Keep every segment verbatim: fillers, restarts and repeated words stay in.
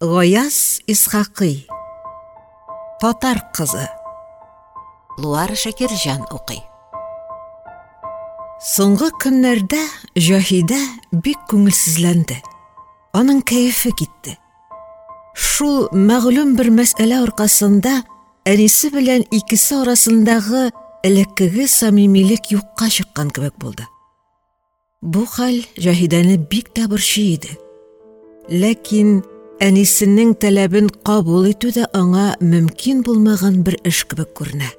Гаяз Исхакый. Татар кызы. Луара Шакирҗан укый. Соңгы көннәрдә Җаһидә бик күңелсезләнде. Аның кәефе китте. Шул мәгълүм бер мәсьәлә аркасында әнисе белән икесе арасындагы элеккеге самимилек юкка чыккан кебек булды. Бу хәл Җаһидәне бик тә борчый иде. Ләкин әнисенең таләбен кабул итү дә аңа мөмкин булмаган бер эш кебек күренә.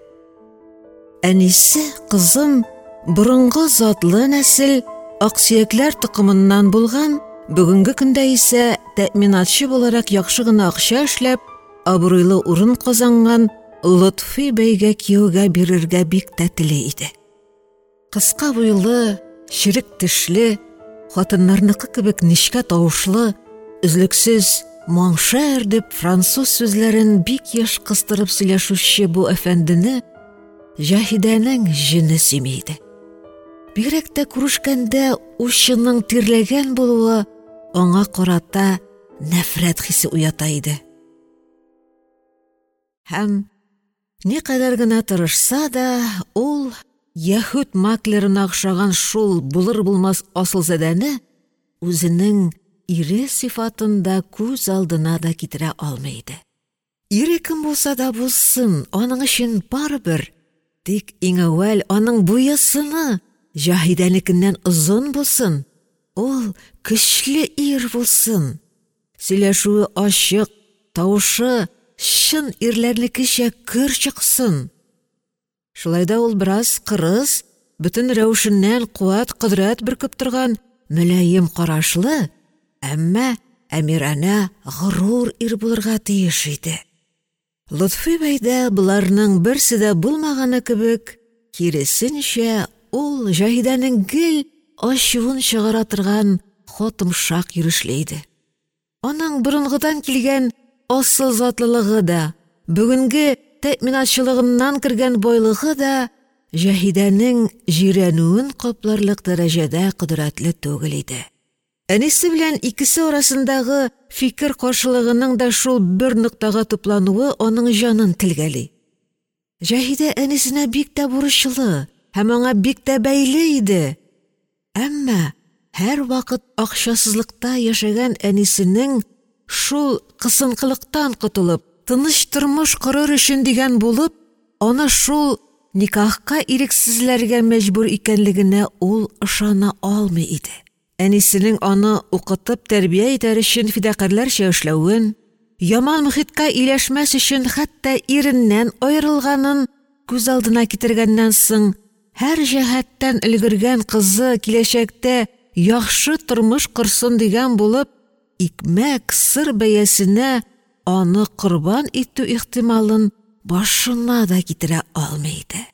Әнисе кызын борынгы затлы нәсел аксөякләр токымыннан булган, бүгенге көндә исә тәэминатчы буларак яхшы гына акча эшләп, абруйлы урын казанган Лотфи бәйгә кияүгә бирергә бик тә тели иде. Кыска буйлы, черек тешле, хатыннарныкы кебек нечкә тавышлы, өзлексез «Mon cher» дип француз сүзләрен бик еш кыстырып сөйләшүче бу әфәндене Җаһидәнең җене сөйми иде. Бигрәк тә күрешкәндә учының тирләгән булуы аңа карата нәфрәт хисе уята иде. Һәм никадәр генә тырышса да, ул яһүд маклерына охшаган шул булыр-булмас асылзадәне үзенең ире сыйфатында күз алдына да китерә алмый иде. Ире кем булса да булсын, аның өчен барыбер, тик иң әүвәл аның буе-сыны Җаһидәнекеннән озын булсын, ул көчле ир булсын, сөйләшүе ачык, тавышы чын ирләрнекечә көр чыксын. Шулай да ул бераз кырыс, бөтен рәвешеннән куәт-кодрәт бөркеп торган мөлаем карашлы, әмма әмиранә горур ир булырга тиеш иде. Лотфи бәйдә боларның берсе дә булмаганы кебек, киресенчә, ул Җаһидәнең гел ачуын чыгара торган хотымшак йөрешле иде. Аның борынгыдан килгән асыл затлылыгы да, бүгенге тәэминатчылыгыннан кергән байлыгы да Җаһидәнең җирәнүен капларлык дәрәҗәдә кодрәтле түгел иде. Әнисе белән икесе арасындагы фикер каршылыгының да шул бер ноктага туплануы аның җанын телгәли. Җаһидә әнисенә бик тә бурычлы һәм аңа бик тә бәйле иде. Әмма һәрвакыт акчасызлыкта яшәгән әнисенең шул кысынкылыктан котылып, тыныч тормыш корыр өчен дигән булып, аны шул никахка ирексезләргә мәҗбүр икәнлегенә ул ышана алмый иде. Әнисенең аны укытып тәрбия итәр өчен фидакарьләрчә эшләвен, яман мөхиткә ияләшмәс өчен хәтта иреннән аерылганын күз алдына китергәннән соң, һәр җәһәттән өлгергән кызы киләчәктә яхшы тормыш корсын дигән булып, икмәк, сыр бәясенә аны корбан итү ихтималын башына да китерә алмый иде.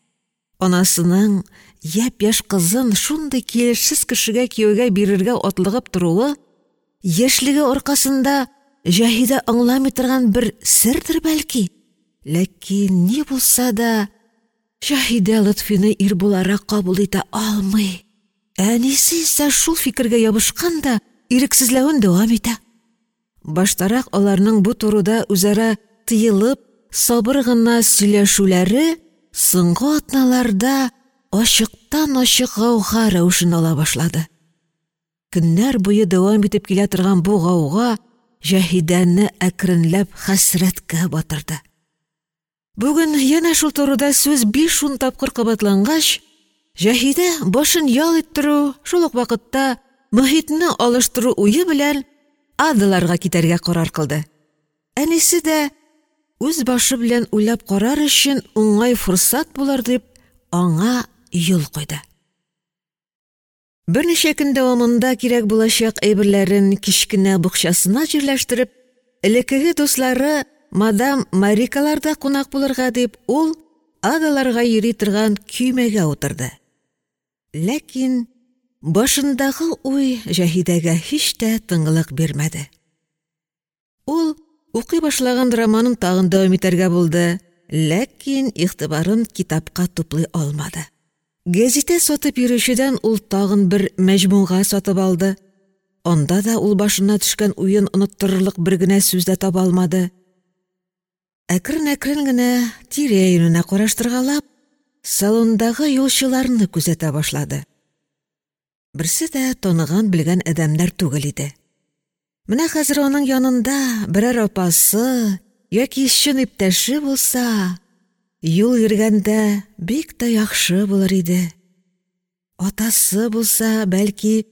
Анасының япь-яшь кызын шундый килешсез кешегә кияүгә бирергә атлыгып торуы яшьлеге аркасында Җаһидә аңламый торган бер сердер бәлки. Ләкин ни булса да Җаһидә Лотфины ир буларак кабул итә алмый. Әнисе исә шул фикергә ябышкан да ирексезләвен дәвам итә. Баштарак аларның бу турыда үзара тыелып, сабыр гына сөйләшүләре соңгы атналарда ачыктан-ачык гауга рәвешен ала башлады. Көннәр буе дәвам итеп килә торган бу гауга Җаһидәне әкренләп хәсрәткә батырды. Бүген янә шул турыда сүз биш-ун тапкыр кабатлангач, Җаһидә башын ял иттерү, шул ук вакытта мөхитне алыштыру уе белән Адаларга китәргә карар кылды. Әнисе дә үз башы белән уйлап карар өчен уңай форсат булыр дип аңа юл куйды. Берничә көн дәвамында кирәк булачак әйберләрен кечкенә букчасына җирләштереп, элеккеге дуслары мадам Марикаларда кунак булырга дип, ул Адаларга йөри торган көймәгә утырды. Ләкин башындагы уй Җаһидәгә һич тә тынгылык бирмәде. Ул укый башлаган романын тагын дәвам итәргә булды, ләкин игътибарын китапка туплый алмады. Гәзитә сатып йөрүчедән ул тагын бер мәҗмуга сатып алды. Анда да ул башына төшкән уен оныттырырлык бер генә сүз дә таба алмады. Әкрен-әкрен генә тирә-юненә караштыргалап, салондагы юлчыларны күзәтә башлады. Берсе дә таныган-белгән адәмнәр түгел иде. Менә хәзер аның янында берәр апасы яки чын иптәше булса, юл йөргәндә бик тә яхшы булыр иде. Атасы булса, бәлки,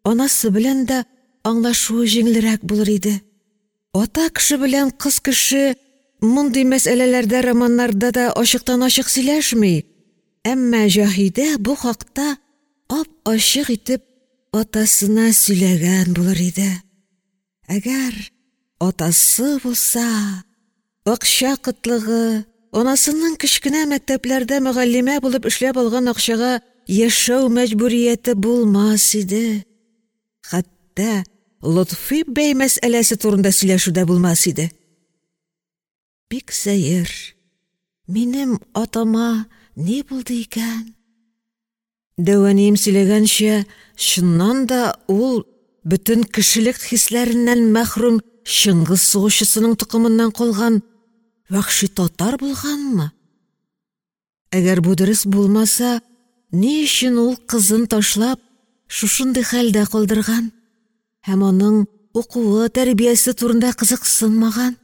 анасы белән дә аңлашуы җиңелрәк булыр иде. Ата кеше белән кыз кеше мондый мәсьәләләрдә романнарда да ачыктан-ачык сөйләшми, әмма Җаһидә бу хакта ап-ачык итеп атасына сөйләгән булыр иде. Әгәр атасы булса, акча кытлыгы, анасының кечкенә мәктәпләрдә мөгаллимә булып эшләп алган акчага яшәү мәҗбүрияте булмас иде. Хәтта Лотфи бәй мәсьәләсе турында сөйләшү дә булмас иде. Бик сәер, минем атама ни булды икән? Дәү әнием сөйләгәнчә, чыннан да ул бөтен кешелек хисләреннән мәхрүм Чыңгыз сугышчысының токымыннан калган вәхши татар булганмы? Әгәр бу дөрес булмаса, ни өчен ул кызын ташлап шушындый хәлдә калдырган һәм аның укуы, тәрбиясе турында кызыксынмаган?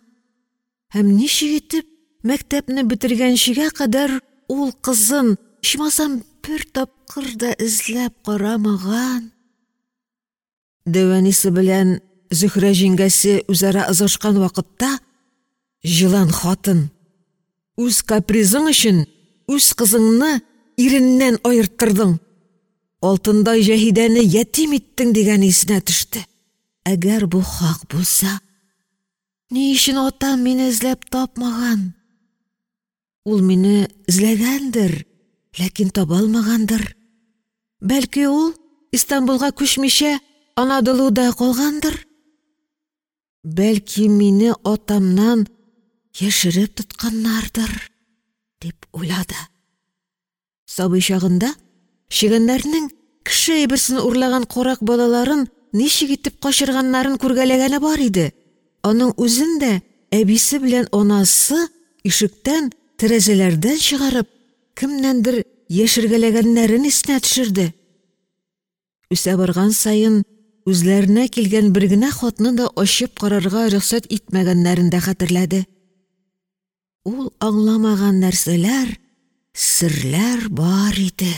Һәм ничек итеп мәктәпне бетергәнчегә кадәр ул кызын, ичмасам, бер тапкыр да эзләп карамаган? Дәү әнисе белән Зөһрә җиңгәсе үзара ызгышкан вакытта җылан хатын: «Үз капризың өчен үз кызыңны иреннән аерттырдың. Алтындай Җаһидәне ятим иттең», дигән исенә төште. Әгәр бу хак булса, ни өчен атам мине эзләп тапмаган? Ул мине эзләгәндер, ләкин таба алмагандыр. Бәлки ул Истанбулга күчмичә Анадолуда калгандыр? Бәлки мине атамнан яшереп тотканнардыр, дип уйлады. Сабый чагында чегәннәрнең кеше әйберсен урлаган карак балаларын ничек итеп качырганнарын күргәләгәне бар иде. Аның үзен дә әбисе белән анасы ишектән, тәрәзәләрдән чыгарып, кемнәндер яшергәләгәннәрен исенә төшерде. Үсә барган саен үзләренә килгән бер генә хатны да ачып карарга рөхсәт итмәгәннәрен дә хәтерләде. Ул аңламаган нәрсәләр, серләр бар иде.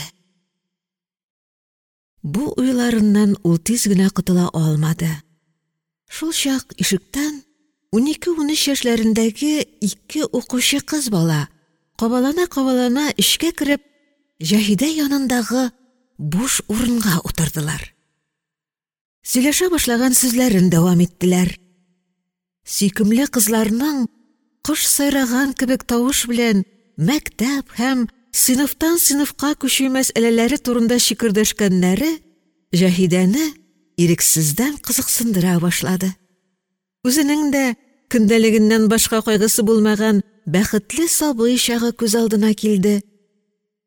Бу уйларыннан ул тиз генә котыла алмады. Шул чак ишектән унике-унөч яшьләрендәге ике укучы кыз бала кабалана-кабалана эчкә кереп, Җаһидә янындагы буш урынга утырдылар. Сөйләшә башлаган сүзләрен дәвам иттеләр. Сөйкемле кызларның кош сайраган кебек тавыш белән мәктәп һәм сыйныфтан сыйныфка күчү мәсьәләләре турында чикердәшкәннәре Җаһидәне ирексездән кызыксындыра башлады. Үзенең дә көндәлегеннән башка кайгысы булмаган бәхетле сабый чагы күз алдына килде.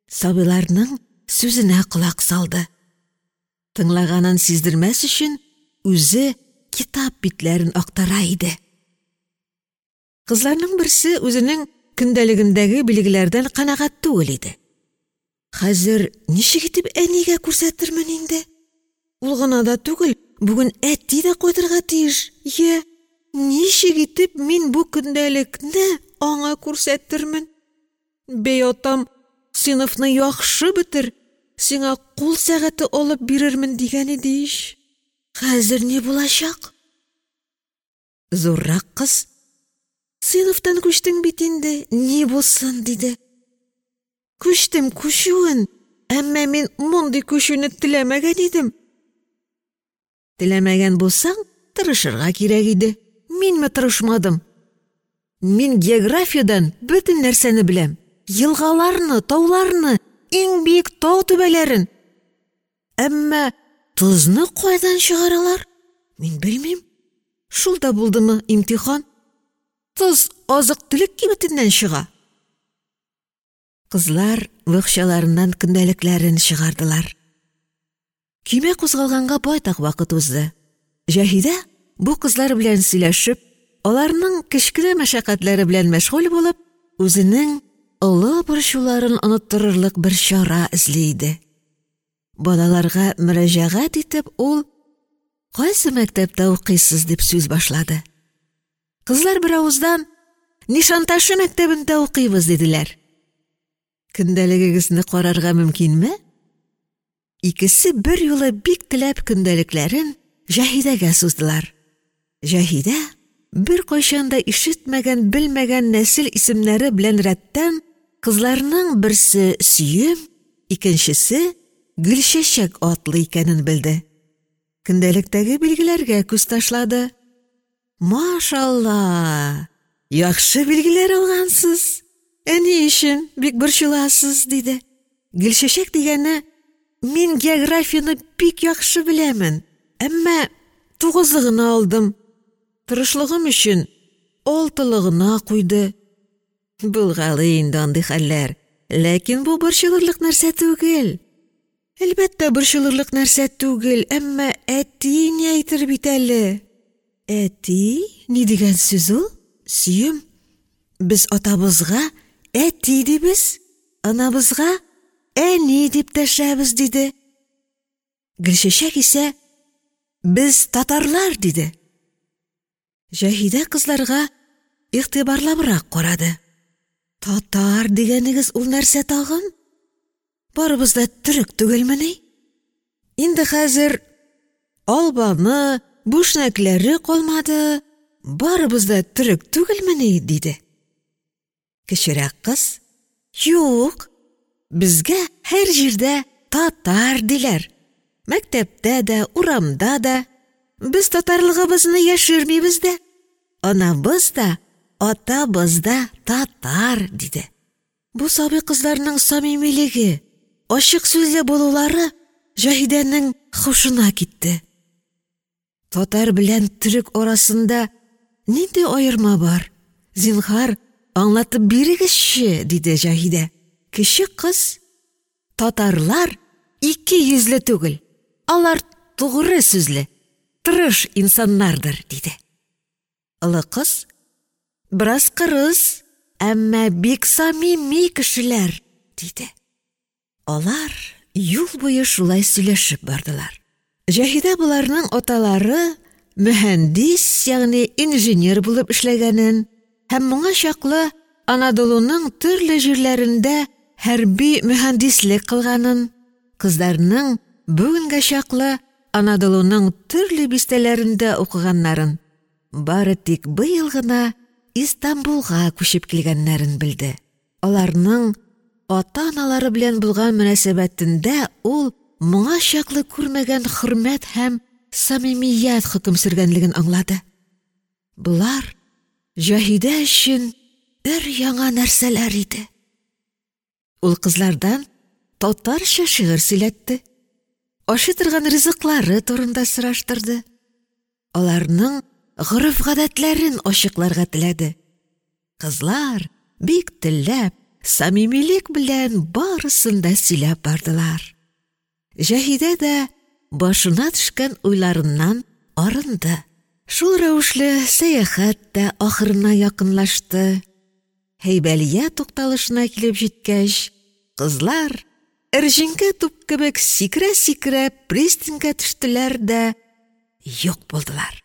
Сабыйларның сүзенә колак салды. Тыңлаганын сиздермәс өчен үзе китап битләрен актара иде. Кызларның берсе үзенең көндәлегендәге билгеләрдән канәгать түгел иде. Хәзер ничек итеп әнигә күрсәтермен инде? Ул гына да түгел, бүген әти дә кайтырга тиеш. Йә, ничек итеп мин бу көндәлекне аңа күрсәтермен? Бәй атам, сыйныфны яхшы бетер, сиңа кул сәгате алып бирермен дигән иде ич. Хәзер ни булачак? Зуррак кыз: «Сыйныфтан күчтең бит инде, ни булсын?» диде. Күчтем күчүен, әмма мин мондый күчүне теләмәгән идем. Теләмәгән булсаң, тырышырга кирәк иде. Минме тырышмадым? Мин географиядән бөтен нәрсәне беләм. Елгаларны, тауларны, иң биек тау түбәләрен. Әмма тозны кайдан чыгаралар? Мин белмим. Шул да булдымы имтихан? Тоз азык-төлек кибетеннән чыга. Кызлар бакчаларыннан көндәлекләрен чыгардылар. Көймә кузгалганга байтак вакыт узды. Җаһидә бу кызлар белән сөйләшеп, аларның кечкенә мәшәкатьләре белән мәшгуль булып, үзенең олы борчуларын оныттырырлык бер чара эзли иде. Балаларга мөрәҗәгать итеп, ул: «Кайсы мәктәптә укыйсыз?» — дип сүз башлады. Кызлар беравыздан: «Нишанташы мәктәбендә укыйбыз», — диделәр. «Көндәлегегезне карарга мөмкинме?» Икесе бер юлы бик теләп көндәлекләрен Җаһидәгә суздылар. Җаһидә беркайчан да ишетмәгән, белмәгән нәсел исемнәре белән рәттән кызларның берсе Сөем, икенчесе Гөлчәчәк атлы икәнен белде. Көндәлектәге билгеләргә күз ташлады. «Машалла, яхшы билгеләр алгансыз, ә ни өчен бик борчыласыз?» — диде. Гөлчәчәк дигәне: «Мин географияне бик яхшы беләмен, әмма тугызлы гына алдым, тырышлыгым өчен алтылы гына куйды». Булгалый инде андый хәлләр, ләкин бу борчылырлык нәрсә түгел. Әлбәттә, борчылырлык нәрсә түгел, әмма әти ни әйтер бит әле? Әти ни дигән сүз ул? Сөем, без атабызга әти дибез, анабызга әни дип дәшәбез, диде. Гөлчәчәк исә: «Без татарлар», диде. Җаһидә кызларга игътибарлабрак карады. «Татар дигәнегез ул нәрсә тагын? Барыбыз да төрек түгелмени? Инде хәзер албаны, бүшнәкләре калмады, барыбыз да төрек түгелмени?» — диде. Кечерәк кыз: «Юк, безгә һәр җирдә татар диләр. Мәктәптә дә, урамда да. Без татарлыгыбызны яшермибез дә. Анабыз да, атабыз да татар», — диде. Бу сабый кызларның самимилеге, ачык сүзле булулары Җаһидәнең хушына китте. Татар белән төрек арасында нинди аерма бар? Зинһар, аңлатып бирегезче, диде Җаһидә. Кече кыз: «Татарлар ике йөзле түгел, алар тугры сүзле, тырыш инсаннардыр», диде. Олы кыз: «Бераз кырыс, әмма бик самими кешеләр», диде. Алар юл буе шулай сөйләшеп бардылар. Җаһидә боларның аталары мөһәндис, ягъни инженер булып эшләгәнен һәм моңа чаклы Анадолуның төрле җирләрендә хәрби мөһәндислек кылганын, кызларның бүгенгә чаклы Анадолуның төрле бистәләрендә укыганнарын, бары тик быел гына Истанбулга күчеп килгәннәрен белде. Аларның ата-аналары белән булган мөнәсәбәтендә ул моңа чаклы күрмәгән хөрмәт һәм самимият хөкем сөргәнлеген аңлады. Болар Җаһидә өчен бер яңа нәрсәләр иде. Ул кызлардан татарча шигырь сөйләтте, ашый торган ризыклары турында сораштырды, аларның гореф-гадәтләрен ачыкларга теләде. Кызлар бик теләп, самимилек белән барысын да сөйләп бардылар. Җаһидә дә башына төшкән уйларыннан арынды. Шул рәвешле сәяхәт тә ахырына якынлашты. Һәйбәлия тукталышына килеп җиткәч, кызлар эрҗиңкә туп кебек сикерә-сикерә пристаньга төштеләр дә юк булдылар.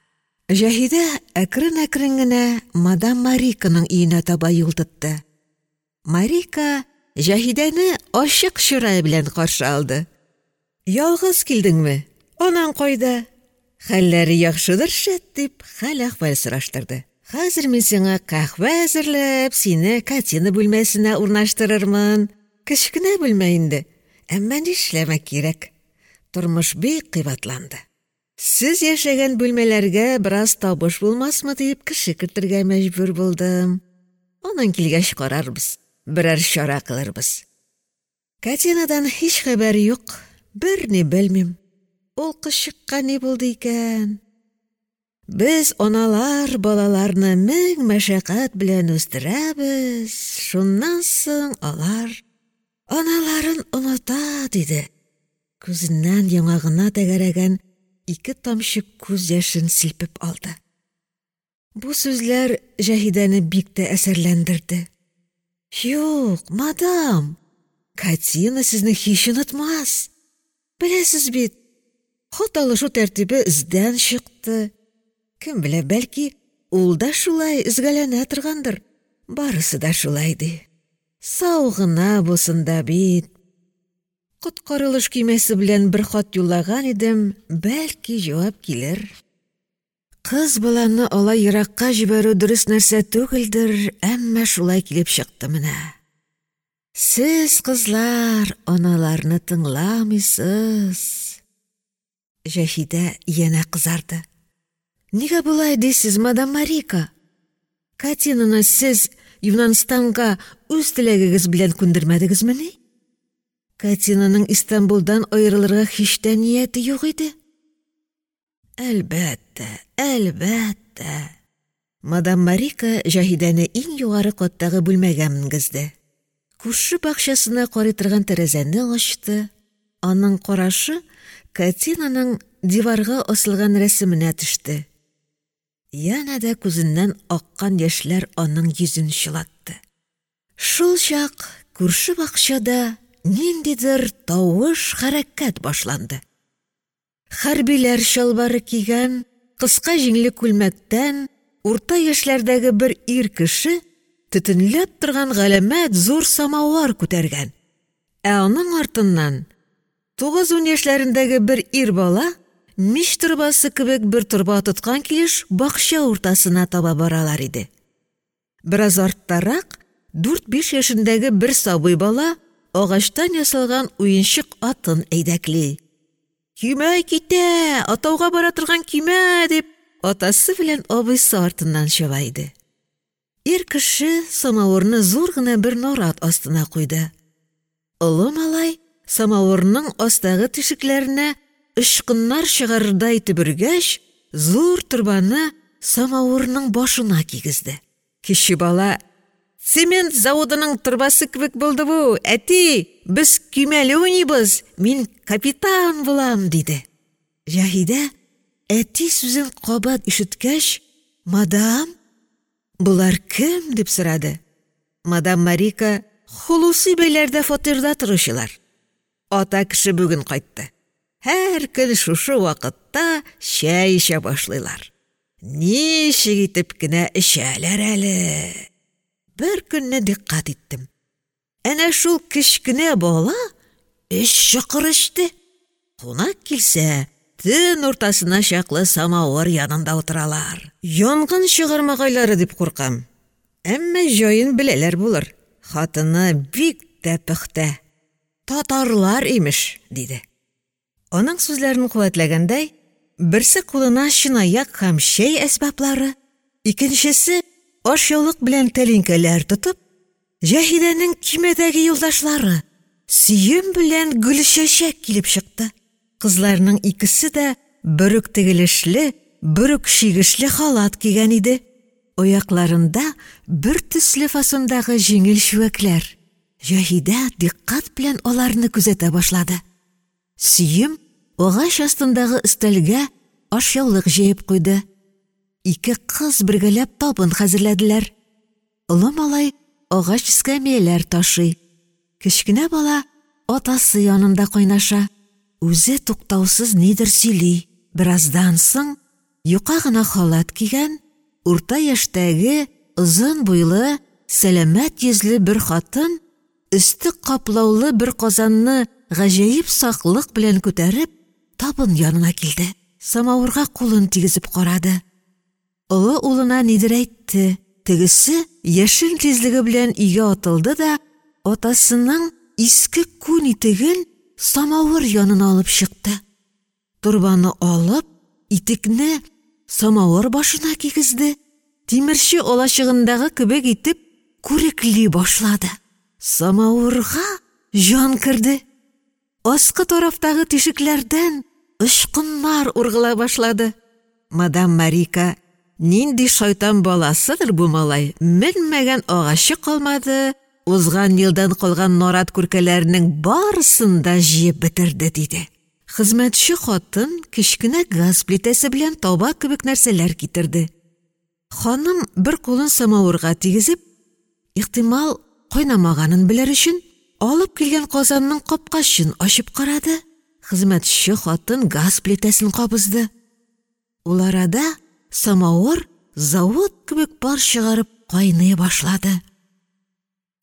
Җаһидә әкрен-әкрен генә мадам Мариканың өенә таба юл тотты. Марика Җаһидәне ачык чырай белән каршы алды. «Ялгыз килдеңме? Анаң кайда? Хәлләре яхшыдыр шәт», дип хәл-әхвәл сораштырды. «Хәзер мин сиңа каһвә әзерләп, сине Катина бүлмәсенә урнаштырырмын. Кечкенә бүлмә инде, әмма нишләмәк кирәк. Тормыш бик кыйбатланды. Сез яшәгән бүлмәләргә бераз табыш булмасмы дип кеше кертергә мәҗбүр булдым. Аның килгәч карарбыз, берәр чара кылырбыз. Катинадан һич хәбәр юк, берни белмим. Ул кызчыкка ни булды икән? Без аналар балаларны мең мәшәкать белән үстерәбез, шуннан соң алар аналарын оныта», диде. Күзеннән яңагына тәгәрәгән ике тамчы күз яшен силпеп алды. Бу сүзләр Җаһидәне бик тә әсәрләндерде. — Юк, мадам, Катина сезне һич онытмас. Беләсез бит, хат алышу тәртибе эздән чыкты. Кем белә, бәлки, ул да шулай өзгәләнә торгандыр, барысы да шулай ди. Сау гына булсын да бит. Коткарылыш көймәсе белән бер хат юллаган идем, бәлки, җавап килер. Кыз баланы алай еракка җибәрү дөрес нәрсә түгелдер, әмма шулай килеп чыкты менә. Сез, кызлар, аналарны тыңламыйсыз. Җаһидә янә кызарды. — Нигә болай дисез, мадам Марика? Катинаны сез Юнанстанга үз теләгегез белән күндермәдегезмени? Катинаның Истанбулдан аерылырга һич тә нияте юк иде. Әлбәттә, әлбәттә. Мадам Марика Җаһидәне иң югары каттагы бүлмәгә менгезде. Күрше бакчасына карый торган тәрәзәне ачты. Аның карашы Катинаның диварга асылган рәсеменә төште. Янә дә күзеннән аккан яшьләр аның йөзен чылатты. Шул чак күрше бакчада ниндидер тавыш, хәрәкәт башланды. Хәрбиләр чалбары кигән, кыска җиңле күлмәктән урта яшьләрдәге бер ир кеше төтенләп торган галәмәт зур самавар күтәргән. Ә аның артыннан тугыз-ун яшьләрендәге бер ир бала мич торбасы кебек бер торба тоткан килеш бакча уртасына таба баралар иде. Бераз арттарак дүрт-биш яшендәге бер сабый бала агачтан ясалган уенчык атын әйдәкли. «Көймә китә, атауга бара торган көймә!» дип, атасы белән абыйсы артыннан чаба иде. Ир кеше самавырны зур гына бер нарат астына куйды. Олы малай самавырның астагы тишекләренә очкыннар чыгарырдай итеп өргәч, зур торбаны самавырның башына кигезде. Кече бала: «Цемент заводының торбасы кебек булды бу, әти, без көймәле уйныйбыз, мин капитан булам», диде. Җаһидә әти сүзен кабат ишеткәч, «Мадам, болар кем?» дип сорады. Мадам Марика: «Хулуси бәйләрдә фатирда торучылар. Ата кеше бүген кайтты. Һәр көн шушы вакытта чәй эчә башлыйлар. Ничек итеп кенә эчәләр әле!» Бер көнне дикъкать иттем. Әнә шул кечкенә бала өч чокыр эчте. Кунак килсә, төн уртасына чаклы самавыр янында утыралар. Янгын чыгармагайлары дип куркам. Әмма җаен беләләр булыр. Хатыны бик тә пөхтә. Татарлар имеш, диде. Аның сүзләрен куәтләгәндәй, берсе кулына чынаяк һәм чәй әсбаплары, икенчесе ашъяулык белән тәлинкәләр тотып, Җаһидәнең көймәдәге юлдашлары Сөем белән Гөлчәчәк килеп чыкты. Кызларның икесе дә бер үк тегелешле, бер үк чигешле халат кигән иде. Аякларында бер төсле фасондагы җиңел чүәкләр. Җаһидә дикъкать белән аларны күзәтә башлады. Сөем агач астындагы өстәлгә ашъяулык җәеп куйды. Ике кыз бергәләп табын хәзерләделәр. Олы малай агач эскәмияләр ташый. Кечкенә бала атасы янында кайнаша. Үзе туктаусыз нидер сөйли. Бераздан соң юка гына халат кигән, урта яшьтәге, озын буйлы, сәламәт йөзле бер хатын өсте каплаулы бер казанны гаҗәеп саклык белән күтәреп, табын янына килде. Самавырга кулын тигезеп карады. Олы улына нидер әйтте. Тегесе яшен тизлеге белән өйгә атылды да атасының иске күн итеген самавыр янына алып чыкты. Торбаны алып, итекне самавыр башына кигезде. Тимерче алачыгындагы кебек итеп күрекли башлады. Самавырга җан керде. Аскы тарафтагы тишекләрдән очкыннар ургыла башлады. Мадам Марика: «Нинди шайтан баласыдыр бу малай, менмәгән агачы калмады, узган елдан калган нарат күркәләренең барысын да җыеп бетерде», диде. Хезмәтче хатын кечкенә газ плитәсе белән таба кебек нәрсәләр китерде. Ханым бер кулын самавырга тигезеп, ихтимал, кайнамаганын белер өчен, алып килгән казанның капкачын ачып карады, хезмәтче хатын газ плитәсен кабызды. Ул арада самавыр завод кебек пар чыгарып кайный башлады.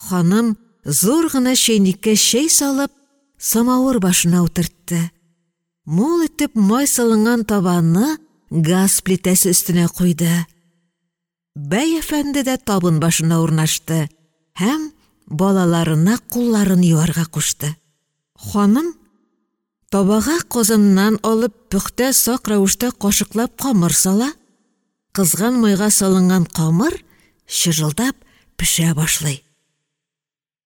Ханым зур гына чәйнеккә чәй салып, самавыр башына утыртты. Мул итеп май салынган табаны газ плитәсе өстенә куйды. Бәй әфәнде дә табын башына урнашты һәм балаларына кулларын юарга кушты. Ханым табага казаннан алып пөхтә сак рәвештә кашыклап камыр сала, кызган майга салынган камыр чыжылдап пешә башлый.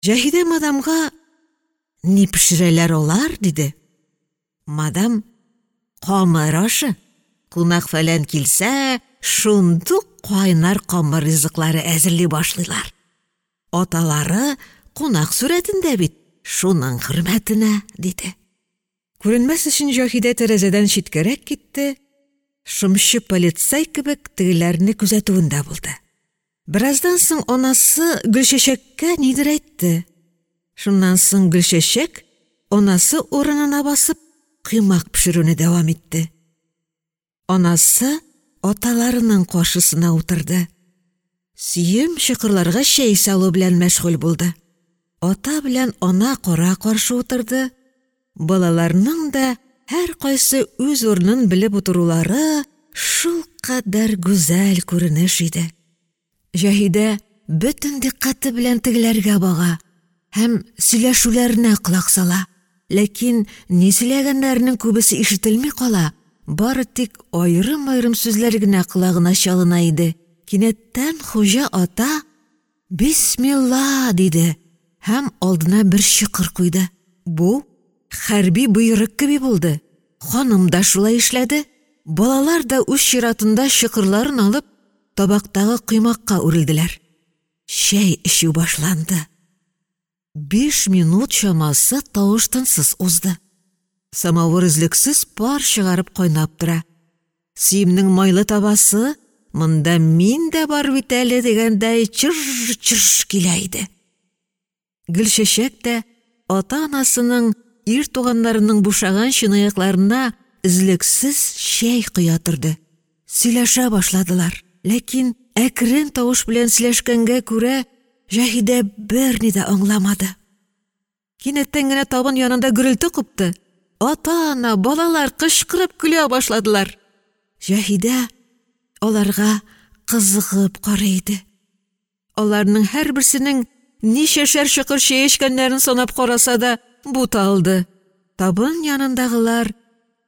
Җаһидә мадамга: «Ни пешерәләр алар?» — диде. Мадам: «Камыр ашы, кунак-фәлән килсә, шундук кайнар камыр ризыклары әзерли башлыйлар. Аталары кунак сурәтендә бит, шуның хөрмәтенә», — диде. Күренмәс өчен Җаһидә тәрәзәдән читкәрәк китте, шымчы полицай кебек тегеләрне күзәтүендә булды. Бераздан соң анасы Гөлчәчәккә нидер әйтте. Шуннан соң Гөлчәчәк анасы урынына басып коймак пешерүне дәвам итте. Анасы аталарының каршысына утырды. Сөем чокырларга чәй салу белән мәшгуль булды. Ата белән ана кара-каршы утырды. Балаларның да һәркайсы үз урынын белеп утырулары шулкадәр гүзәл күренеш иде. Җаһидә бөтен дикъкате белән тегеләргә бага һәм сөйләшүләренә колак сала. Ләкин ни сөйләгәннәренең күбесе ишетелми кала, бары тик аерым-аерым сүзләр генә колагына чалына иде. Кинәттән хуҗа ата: «Бисмилла!» — диде һәм алдына бер чокыр куйды. Бу хәрби боерык кеби булды. Ханым да шулай эшләде. Балалар да үз чиратында чокырларын алып табактагы коймакка үрелделәр. Чәй эчү башланды. Биш минут чамасы тавыш-тынсыз узды. Самавыр өзлексез пар чыгарып кайнап тора. Сөемнең майлы табасы «Монда мин дә бар бит әле» дигәндәй чыж-чыж килә иде. Гөлчәчәк тә ата-анасының, ир туганнарының бушаган чынаякларына өзлексез чәй коя торды. Сөйләшә башладылар. Ләкин әкрен тавыш белән сөйләшкәнгә күрә Җаһидә берни дә аңламады. Кинәттән генә табын янында гөрелте купты. Ата-ана, балалар кычкырып көлә башладылар. Җаһидә аларга кызыгып карый иде. Аларның һәрберсенең ничәшәр чокыр чәй эчкәннәрен санап караса да буталды. Табын янындагылар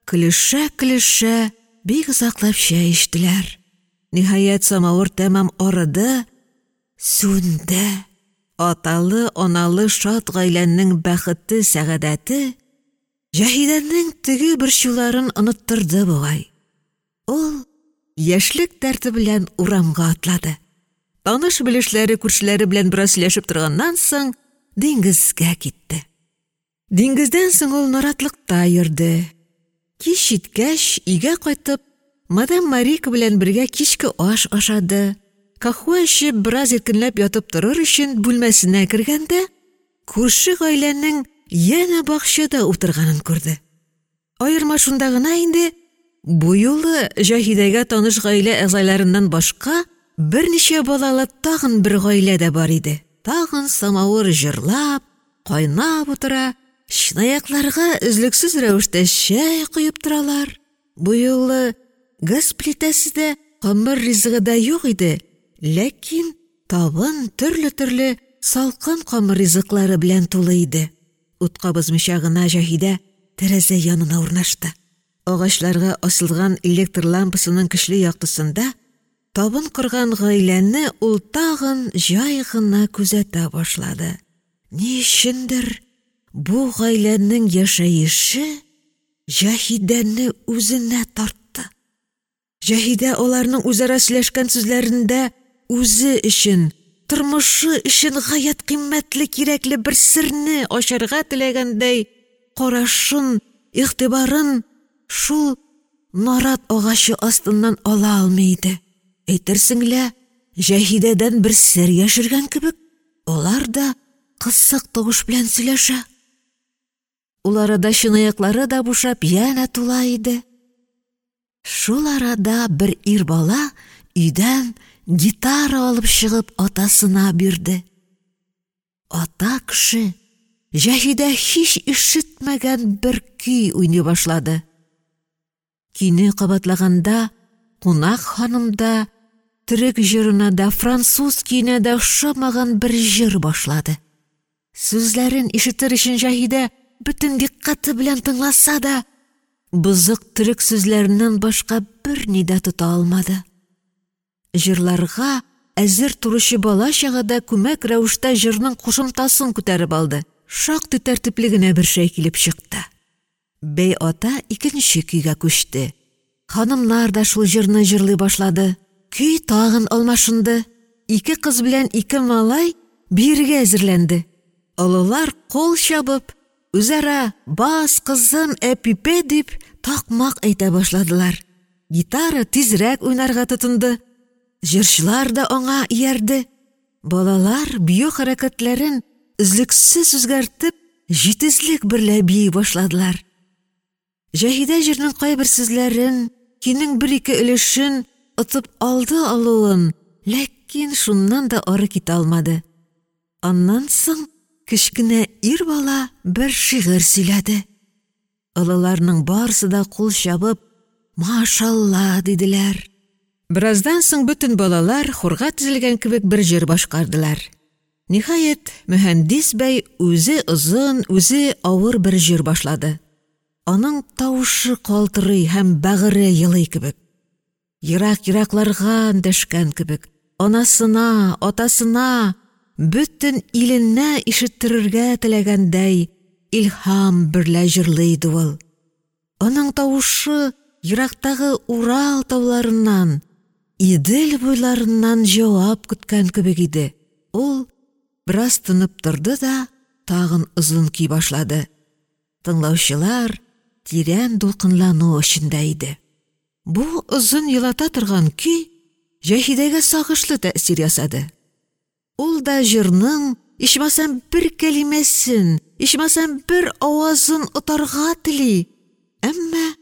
көлешә-көлешә бик озаклап чәй эчтеләр. Ниһаять, самавыр тәмам арыды, сүнде. Аталы-аналы шат гаиләнең бәхете, сәгадәте Җаһидәнең теге борчуларын оныттырды бугай. Ул яшьлек дәрте белән урамга атлады. Таныш-белешләре, күршеләре белән бераз сөйләшеп торганнан соң диңгезгә китте. Диңгездән соң ул наратлыкта йөрде. Кич җиткәч, өйгә кайтып, мадам Марика белән бергә кичке аш ашады. Каһвә эчеп, бераз иркенләп ятып торыр өчен бүлмәсенә кергәндә, күрше гаиләнең янә бакчада утырганын күрде. Аерма шунда гына инде, бу юлы Җаһидәгә таныш гаилә әгъзаларыннан башка берничә балалы тагын бер гаилә дә бар иде. Тагын самавыр җырлап, кайнап утыра, чынаякларга өзлексез рәвештә чәй коеп торалар. Бу юлы газ плитәсе дә, камыр ризыгы да юк иде, ләкин табын төрле-төрле салкын камыр ризыклары белән тулы иде. Ут кабызмыйча гына Җаһидә тәрәзә янына урнашты. Агачларга асылган электр лампасының көчле яктысында табын корган гаиләне ул тагын җай гына күзәтә башлады. Ни өчендер бу гаиләнең яшәеше Җаһидәне үзенә тартты. Җаһидә аларның үзара сөйләшкән сүзләрендә үзе өчен, тормышы өчен гаять кыйммәтле, кирәкле бер серне ачарга теләгәндәй карашын игътибарын шул нарат агачы астыннан ала алмый иде, әйтерсең лә Җаһидәдән бер сер яшергән кебек, алар да кысык тавыш белән сөйләшә. Ул арада чынаяклары да бушап янә тула иде. Шул арада бер ир бала өйдән гитара алып чыгып атасына бирде. Ата кеше Җаһидә һич ишетмәгән бер көй уйный башлады. Көйне кабатлаганда кунак ханым да төрек җырына да, француз көенә дә охшамаган бер җыр башлады. Сүзләрен ишетер өчен Җаһидә бөтен дикъкате белән тыңласа да, бозык төрек сүзләреннән башка берни дә тота алмады. Җырларга әзер торучы бала-чага да күмәк рәвештә җырның кушымтасын күтәреп алды. Шактый тәртипле генә бер шәй килеп чыкты. Бәй ата икенче көйгә күчте. Ханымнар да шул җырны җырлый башлады. Көй тагын алмашынды. Ике кыз белән ике малай биергә әзерләнде. Олылар кул чабып, үзара «Бас, кызым, әпипә» дип такмак әйтә башладылар. Гитара тизрәк уйнарга тотынды. Җырчылар да аңа иярде. Балалар бию хәрәкәтләрен өзлексез үзгәртеп, җитезлек берлә бии башладылар. Җаһидә җырның кайбер сүзләрен, көйнең бер-ике өлешен отып алды алуын, ләкин шуннан да ары китә алмады. Аннан соң кечкенә ир бала бер шигырь сөйләде. Олыларның барысы да кул чабып «Машалла!» диделәр. Бераздан соң бөтен балалар хорга тезелгән кебек бер җыр башкардылар. Ниһаять, Мөһәндис бәй үзе озын, үзе авыр бер җыр башлады. Аның тавышы калтырый һәм бәгыре елый кебек. Ерак-еракларга эндәшкән кебек, анасына, атасына, бөтен иленә ишеттерергә теләгәндәй илһам берлә җырлый иде ул. Аның тавышы ерактагы Урал тауларыннан, Идел буйларыннан җавап көткән кебек иде. Ул бераз тынып торды да тагын озын көй башлады. Тыңлаучылар тирән дулкынлану эчендә иде. Бу озын елата торган көй Җаһидәгә сагышлы тәэсир ясады. Ул да җырның ичмасам бер кәлимәсен, ичмасам бер авазын отарга тели. Әмма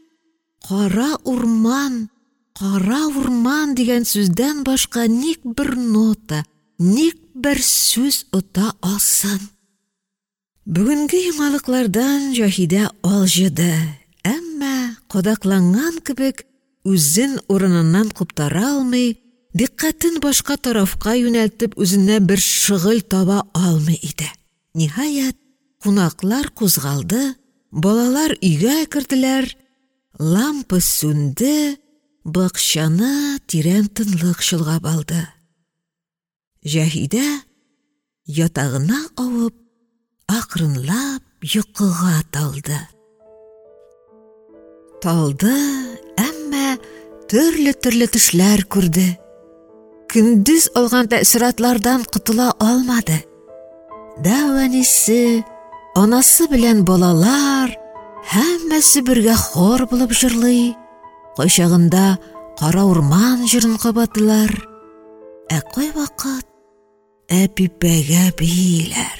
«кара урман, кара урман» дигән сүздән башка ник бер нота, ник бер сүз ота алсын? Бүгенге яңалыклардан Җаһидә алҗыды, әмма кадакланган кебек үзен урыныннан куптара алмый, дикъкатен башка тарафка юнәлтеп үзенә бер шөгыль таба алмый иде. Ниһаять, кунаклар кузгалды, балалар өйгә керделәр, лампа сүнде, бакчаны тирән тынлык чолгап алды. Җаһидә ятагына авып, акрынлап йокыга талды. Талды, әмма төрле-төрле төшләр күрде. Көндез алган тәэссоратлардан котыла алмады. Дәү әнисе, анасы белән балалар һәммәсе бергә хор булып җырлый. Кайчагында «Кара урман» җырын кабатлар, ә кайвакыт «Әпипәгә» бииләр.